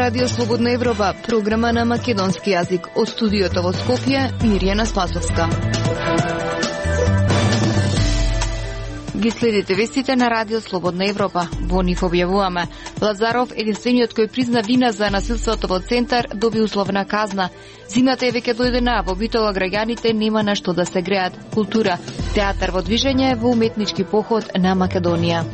Радио Слободна Европа, програма на македонски јазик. Од студиото во Скопје, Мирјана Спасовска. Ги следите вестите на Радио Слободна Европа. Во нив објавуваме: Лазаров, единствениот кој призна вина за насилството во Центар, доби условна казна. Зимата е веќе дојдена, во Битола граѓаните нема на што да се греат. Култура, театар во движење во уметнички поход на Македонија.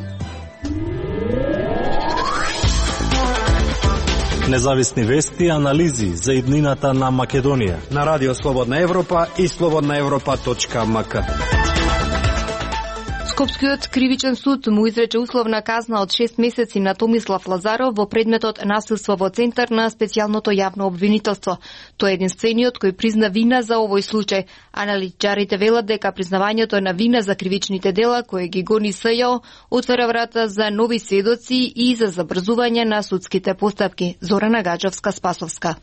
Независни вести и анализи за иднината на Македонија на Радио Слободна Европа и slobodnaevropa.mk. Скопскиот кривичен суд му изрече условна казна од 6 месеци на Томислав Лазаров во предметот насилство во Центар на специјалното јавно обвинителство. Тој е единствениот кој призна вина за овој случај. Аналитичарите велат дека признавањето на вина за кривичните дела кои ги гони СЈО отвара врата за нови сведоци и за забрзување на судските постапки. Зорана Гаджевска-Спасовска.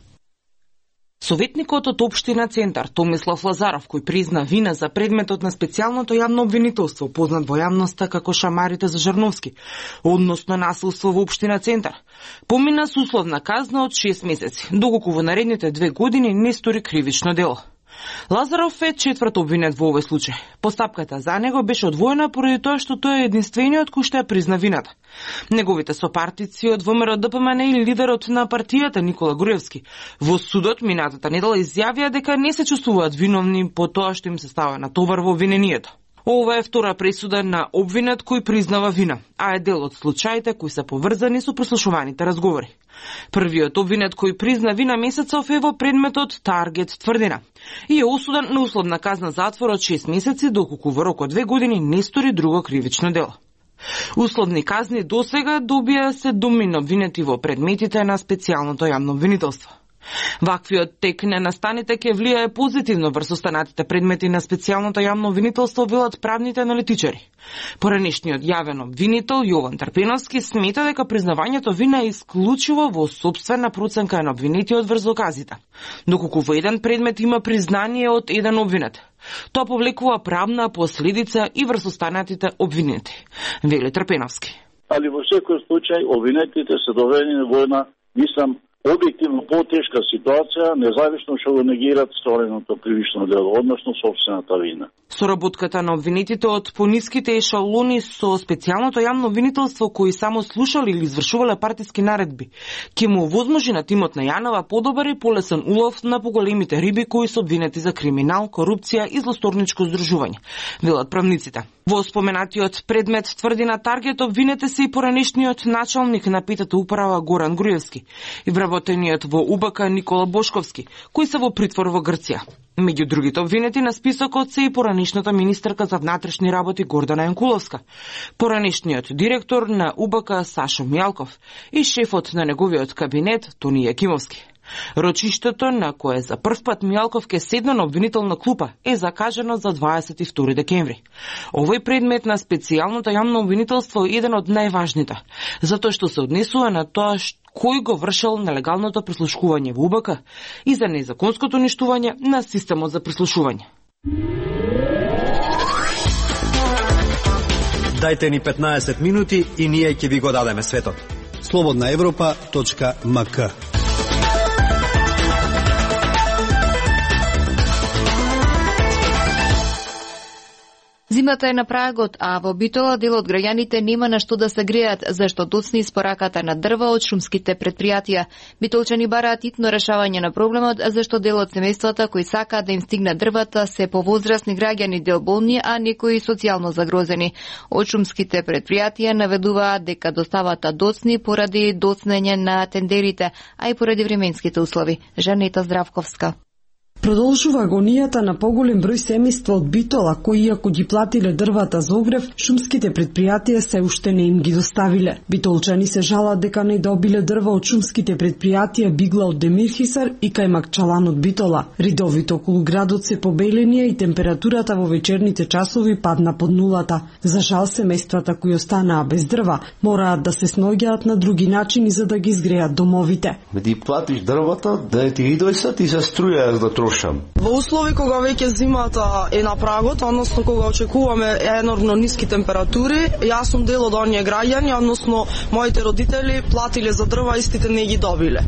Советникот од Општина Центар, Томислав Лазаров, кој призна вина за предметот на специјалното јавно обвинителство, познат во јавноста како шамарите за Жарновски, односно насилство во Општина Центар, помина со условна казна од 6 месеци, доколку во наредните 2 години не стори кривично дело. Лазаров е четврт обвинет во овој случај. Постапката за него беше одвоена поради тоа што тој е единствениот кој што ја призна вината. Неговите сопартици од ВМРО ДПМН и лидерот на партијата Никола Груевски во судот минатата недела изјавија дека не се чувствуваат виновни по тоа што им се става на товар во обвинението. Ова е втора пресуда на обвинет кој признава вина, а е дел од случаите кои се поврзани со прослушуваните разговори. Првиот обвинет кој призна вина месецов е во предметот Таргет Тврдина и е осуден на условна казна затвор од 6 месеци, доколку во рок од 2 години не стори друго кривично дело. Условни казни досега добија се домино обвинети во предметите на специјалното јавно обвинителство. Ваквиот тек на настаните ќе влијае позитивно врз останатите предмети на специјалното јавно обвинителство, велат правните аналитичари. Поранешниот јавен обвинител Јован Трпеновски смета дека признавањето вина е исклучиво во сопствена проценка на обвинетиот врз доказите, доколку во еден предмет има признание од еден обвинет. Тоа повлекува правна последица и врз останатите обвинети, вели Трпеновски. Али во секој случај обвинетите се доведени во една, мислам, објективно потешка ситуација, независно што го негират стореното кривично дело, односно сопствената вина. Соработката на обвинетите од пониските ешалони со специјалното јавно обвинителство кои само слушали или извршувале партиски наредби, ќе му овозможи на тимот на Јанова подобар и полесен улов на поголемите риби кои се обвинети за криминал, корупција и злосторничко здружување, велат правниците. Во споменатиот предмет Тврдина Таргет обвинете се и поранешниот началник на петата управа Горан Груевски и вработениот во УБК Никола Бошковски, кои се во притвор во Грција. Меѓу другите обвинети на списокот се и поранешната министерка за внатрешни работи Гордана Јанкуловска, поранешниот директор на УБК Сашо Мијалков и шефот на неговиот кабинет Тони Јакимовски. Рочиштето на кое за прв пат Мијалков ке седна на обвинителна клупа е закажано за 22 декември. Овој предмет на специјалното јавно обвинителство е еден од најважните, затоа што се однесува на тоа кој го вршел нелегалното прислушкување во УБК и за незаконското уништување на системот за прислушување. Дајте ни 15 минути и ние ќе ви го дадеме светот. slobodnaevropa.mk. Зимата е на прагот, а во Битола дел од граѓаните нема на што да се греат, зашто доцни испораката на дрва од шумските предпријатија. Битолчани бараат итно решавање на проблемот, зашто дел од семејствата кои сакаат да им стигнат дрвата се повозрасни граѓани, дел болни, а некои социјално загрозени. Од шумските предпријатија наведуваат дека доставата доцни поради доцнење на тендерите, а и поради временските услови. Жанета Здравковска. Продолжува агонијата на поголем број семејства од Битола, кои иако ги платиле дрвата за огрев, шумските предпријатија се уште не им ги доставиле. Битолчани се жалат дека не добиле дрва од шумските предпријатија Бигла од Демирхисар и Кајмак Чалан од Битола. Ридовите околу градот се побеленија и температурата во вечерните часови падна под нулата. За жал, семејствата кои останаа без дрва мораат да се сноѓаат на други начини за да ги изгреат домовите. Ти платиш дрвата, да ти ги дојсат и се струја да трошиш слушам. Во услови кога веќе зимата е на прагот, односно кога очекуваме енормно ниски температури, јас сум дел од оние граѓани, односно моите родители платиле за дрва, истите не ги добиле.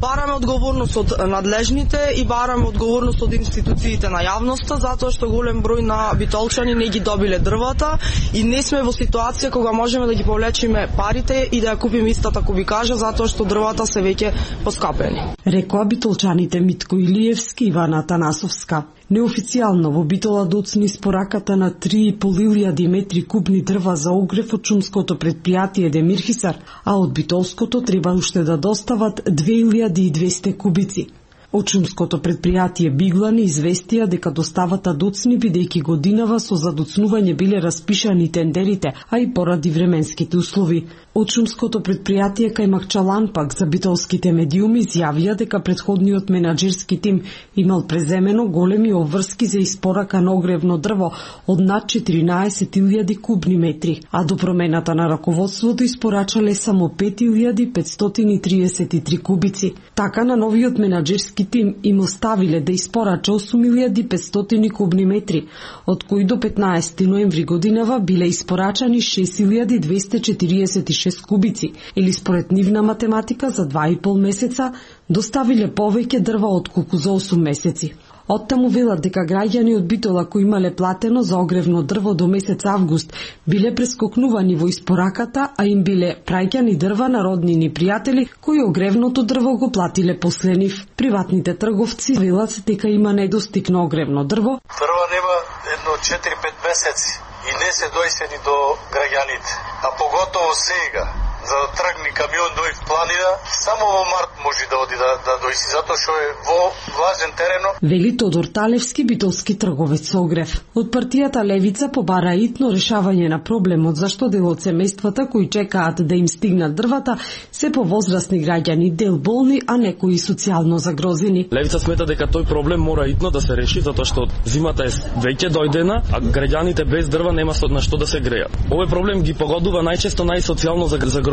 Бараме одговорност од надлежните и бараме одговорност од институциите на јавноста, затоа што голем број на битолчани не ги добиле дрвата и не сме во ситуација кога можеме да ги повлечиме парите и да ја купиме истата кубикажа, затоа што дрвата се веќе поскапени. Рекоа битолчаните Митко Илиевски и Ивана Атанасовска. Неофицијално во Битола доцни испораката на 3.500 метри кубни дрва за огрев од шумското предпријатие Демирхисар, а од битолското треба уште да достават 2200 кубици. Од шумското предпријатие Биглани известија дека доставата доцни, бидејќи годинава со задоцнување биле распишани тендерите, а и поради временските услови. Од шумското предпријатие Кајмакчалан пак за битолските медиуми изјавија дека претходниот менаџерски тим имал преземено големи обврски за испорака на огревно дрво од над 14.000 кубни метри, а до промената на раководството испорачале само 5.533 кубици. Така на новиот менаџерски тим им оставиле да испорача 8.500 кубни метри, од кои до 15 ноември годинава биле испорачани 6.246 кубици, или според нивна математика за 2,5 месеца доставиле повеќе дрва отколку за 8 месеци. Оттаму велат дека граѓани од Битола кои имале платено за огревно дрво до месец август биле прескокнувани во испораката, а им биле праќани дрва на роднини пријатели кои огревното дрво го платиле после нив. Приватните трговци велат дека има недостиг на огревно дрво. Дрва нема едно 4-5 месеци и не се дојсени до граѓаните, а поготово сега. За да тргни камион дој в планина, само во март може да оди да дојси, затоа што е во влажен терено. Вели Тодор Талевски, битолски трговец со огрев. Од партијата Левица побара итно решавање на проблемот, зашто дел од семејствата кои чекаат да им стигнат дрвата се повозрасни граѓани, дел болни, а некои социјално загрозени. Левица смета дека тој проблем мора итно да се реши, затоа што зимата е веќе дојдена, а граѓаните без дрва нема на што да се грејат. Овој проблем ги погодува најчесто најсоцијално загрозените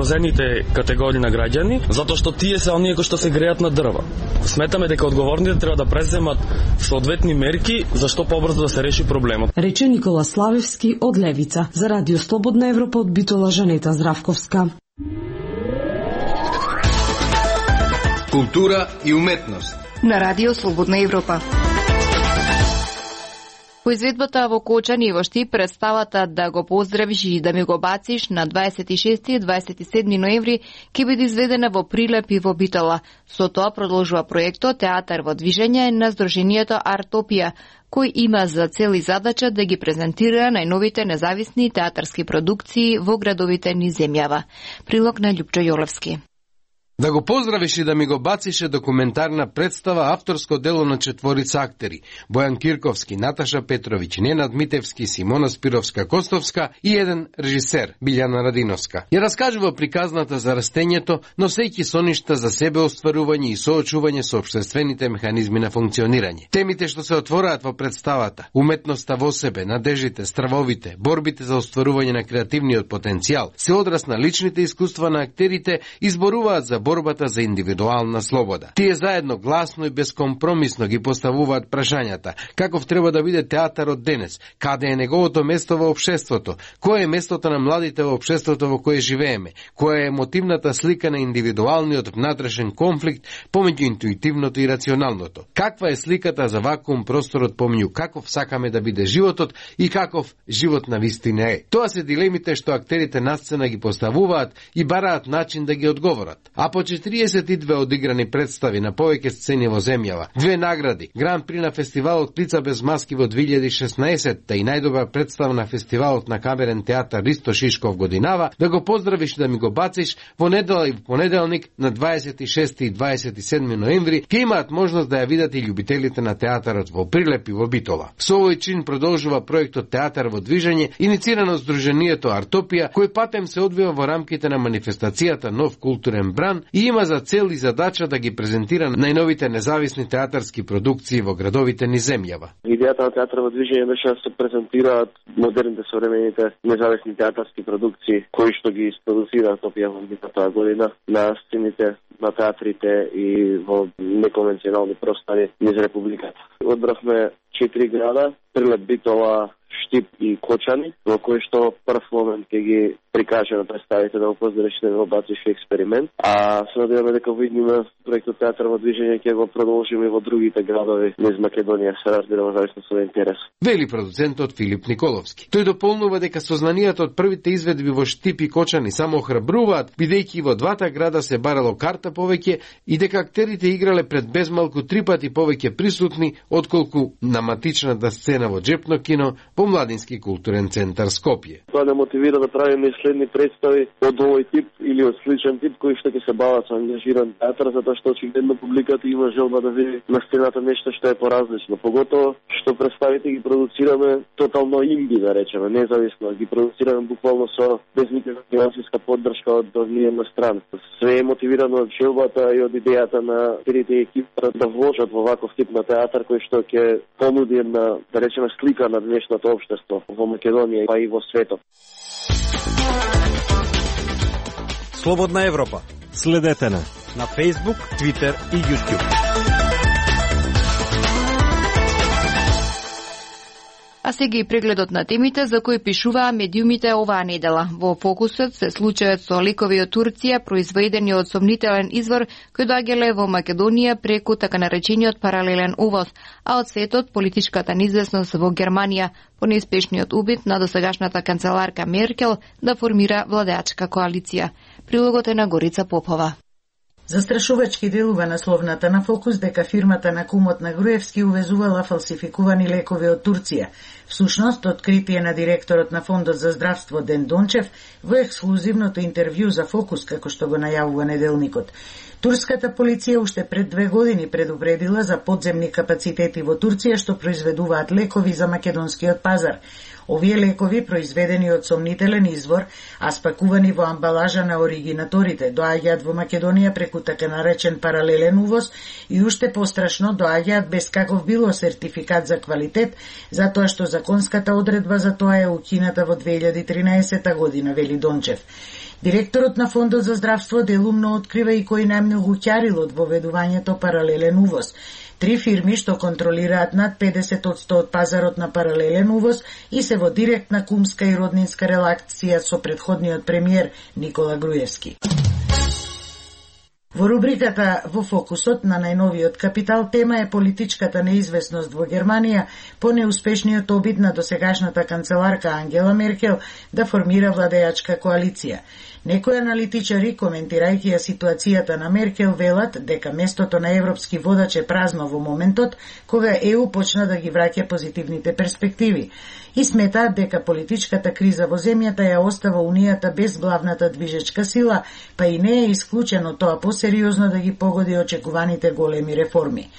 категории на граѓани, затоа што тие се оние кои што се грејат на дрва. Сметаме дека одговорните треба да преземат соодветни мерки за што побрзо да се реши проблемот. Рече Никола Славевски од Левица. За Радио Слободна Европа од Битола, Жанета Здравковска. Култура и уметност на Радио Слободна Европа. По изведбата во Кочани и во Штип представата "Да го поздравиш и да ми го бациш" на 26 и 27 ноември ќе биде изведена во Прилеп и во Битола. Со тоа продолжува проектот Театар во движење на Сдруженијето Артопија, кој има за цел и задача да ги презентира најновите независни театарски продукции во градовите низ земјава. Прилог на Љупчо Јолевски. Да го поздравиш и да ми го бациш е документарна представа, авторско дело на четворица актери: Бојан Кирковски, Наташа Петровиќ, Ненад Митевски, Симона Спировска-Костовска и еден режисер, Билјана Радиновска. Ја раскажува приказната за растењето, носејќи соништа за себе остварување и соочување со општествените механизми на функционирање. Темите што се отвораат во представата: уметноста во себе, надежите, стравовите, борбите за остварување на креативниот потенцијал, се одраз на личните искуства на актерите, изборуваат за борбата за индивидуална слобода. Тие заедно гласно и безкомпромисно ги поставуваат прашањата: каков треба да биде театарот денес, каде е неговото место во општеството, кое е местото на младите во општеството во кое живееме, која е емотивната слика на индивидуалниот внатрешен конфликт помеѓу интуитивното и рационалното, каква е сликата за вакуум просторот помеѓу каков сакаме да биде животот и каков живот на вистина е. Тоа се дилемите што актерите на сцена ги поставуваат и бараат начин да ги одговорат. А по 42 одиграни представи на повеќе сцени во земјава, 2 награди, Гран при на фестивалот Лица без маски во 2016 и најдобра представа на фестивалот на камерен театар Ристо Шишков годинава, да го поздравиш да ми го бациш во недела и понеделник на 26 и 27 ноември ќе имаат можност да ја видат и љубителите на театарот во Прилеп и во Битола. Со овој чин продолжува проектот Театар во движење, иницирано од Сдруженијето Артопија, кој патем се одвива во рамките на манифестацијата Нов културен бран и има за цел и задача да ги презентира најновите независни театарски продукции во градовите ни земјава. Идејата на Театар во движење беше да се презентираат модерните современите независни театарски продукции кои што ги isproducираат опјавам таа година на сцените, на театрите и во неконвенционални простори низ републиката. Одбравме 4 града: Прилеп, Битола, Штип и Кочани, во кој што прв момент ќе ги прикаже на представите да го поздречите во бацишки експеримент, а се надеваме дека во идниме проектот Театар во движење ќе го продолжиме и во другите градови низ Македонија, се разбира во зависност од интерес. Вели продуцентот Филип Николовски. Тој дополнува дека сознанието од првите изведби во Штип и Кочани само охрабруваат, бидејќи во двата града се барало карта повеќе и дека актерите играле пред безмалку 3 пати повеќе присутни отколку на матичната сцена во Джепно кино во Младински културен центар Скопје. Тоа не мотивира да правиме следни представи од овој тип или од сличен тип кои што ќе се бават со ангажиран театар, затоа што очигледно публиката има желба да види на сцената нешто што е поразлично. Поготово што представите ги продуцираме тотално инди, да речеме, независно, ги продуцираме буквално со без никаква финансиска поддршка од една страна. Све е мотивирано од желбата и од идејата на трите екипи да вложат во ваков тип на театар кој што ќе понуди една, да речеме, слика на днешното општество во Македонија па и во светот. Слободна Европа. Следете на Facebook, Twitter и YouTube. А сега и прегледот на темите за кои пишуваа медиумите оваа недела. Во фокусот се случајот со лекови од Турција, произведени од сомнителен извор, кој доаѓале во Македонија преку така наречениот паралелен увоз, а од светот политичката неизвестност во Германија по неуспешниот убит на досегашната канцеларка Меркел да формира владеачка коалиција. Прилогот е на Горица Попова. Застрашувачки делува насловната на Фокус дека фирмата на кумот на Груевски увезувала фалсификувани лекови од Турција. Всушност, откритие на директорот на Фондот за здравство Ден Дончев во ексклузивното интервју за Фокус, како што го најавува неделникот. Турската полиција уште пред 2 години предупредила за подземни капацитети во Турција што произведуваат лекови за македонскиот пазар. Овие лекови, произведени од сомнителен извор, а спакувани во амбалажа на оригинаторите, доаѓаат во Македонија преку така наречен паралелен увоз и уште пострашно доаѓаат без каков било сертификат за квалитет, затоа што законската одредба за тоа е укината во 2013 година, вели Дончев. Директорот на Фондот за здравство делумно открива и кој најмногу ќарил од воведувањето паралелен увоз. 3 фирми што контролираат над 50% од пазарот на паралелен увоз и се во директна кумска и роднинска релација со претходниот премиер Никола Груевски. Во рубриката во фокусот на најновиот Капитал тема е политичката неизвестност во Германија по неуспешниот обид на досегашната канцеларка Ангела Меркел да формира владеачка коалиција. Некои аналитичари, коментирајќи ја ситуацијата на Меркел, велат дека местото на европски водач е празно во моментот кога ЕУ почна да ги враќа позитивните перспективи и сметаат дека политичката криза во земјата ја остава Унијата без главната движечка сила, па и не е исклучено тоа посериозно да ги погоди очекуваните големи реформи.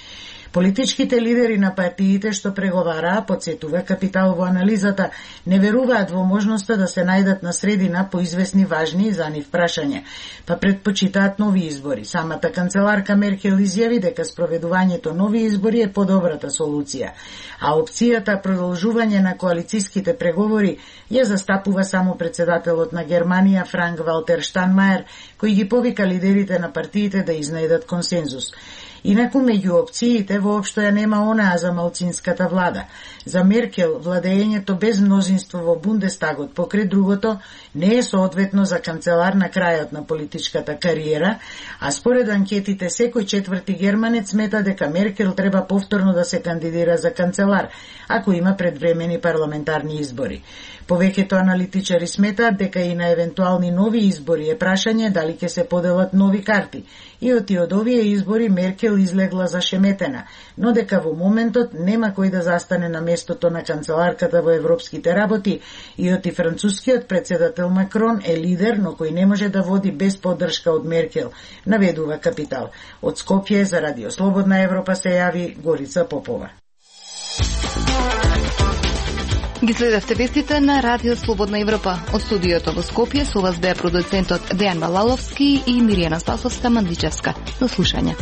Политичките лидери на партиите што преговараа, подсетува Капитал во анализата, не веруваат во можноста да се најдат на средина по известни важни за нив прашања, па предпочитаат нови избори. Самата канцеларка Меркел изјави дека спроведувањето нови избори е подобрата солуција, а опцијата продолжување на коалициските преговори ја застапува само председателот на Германија Франк Валтер Штанмаер, кој ги повика лидерите на партиите да изнајдат консензус. Инаку меѓу опциите воопшто ја нема онаа за малцинската влада. За Меркел владеењето без мнозинство во Бундестагот покрај другото не е соодветно за канцелар на крајот на политичката кариера, а според анкетите секој четврти германец смета дека Меркел треба повторно да се кандидира за канцелар, ако има предвремени парламентарни избори. Повеќето аналитичари сметаат дека и на евентуални нови избори е прашање дали ќе се поделат нови карти. И од овие избори Меркел излегла зашеметена, но дека во моментот нема кој да застане на местото на канцеларката во европските работи и оти францускиот председател Макрон е лидер, но кој не може да води без поддршка од Меркел, наведува Капитал. Од Скопје за Радио Слободна Европа се јави Горица Попова. Ги следевте вестите на Радио Слободна Европа. Од студиото во Скопје со вас беа продуцентот Дејан Балаловски и Миријана Спасовска Мандличевска. До слушање.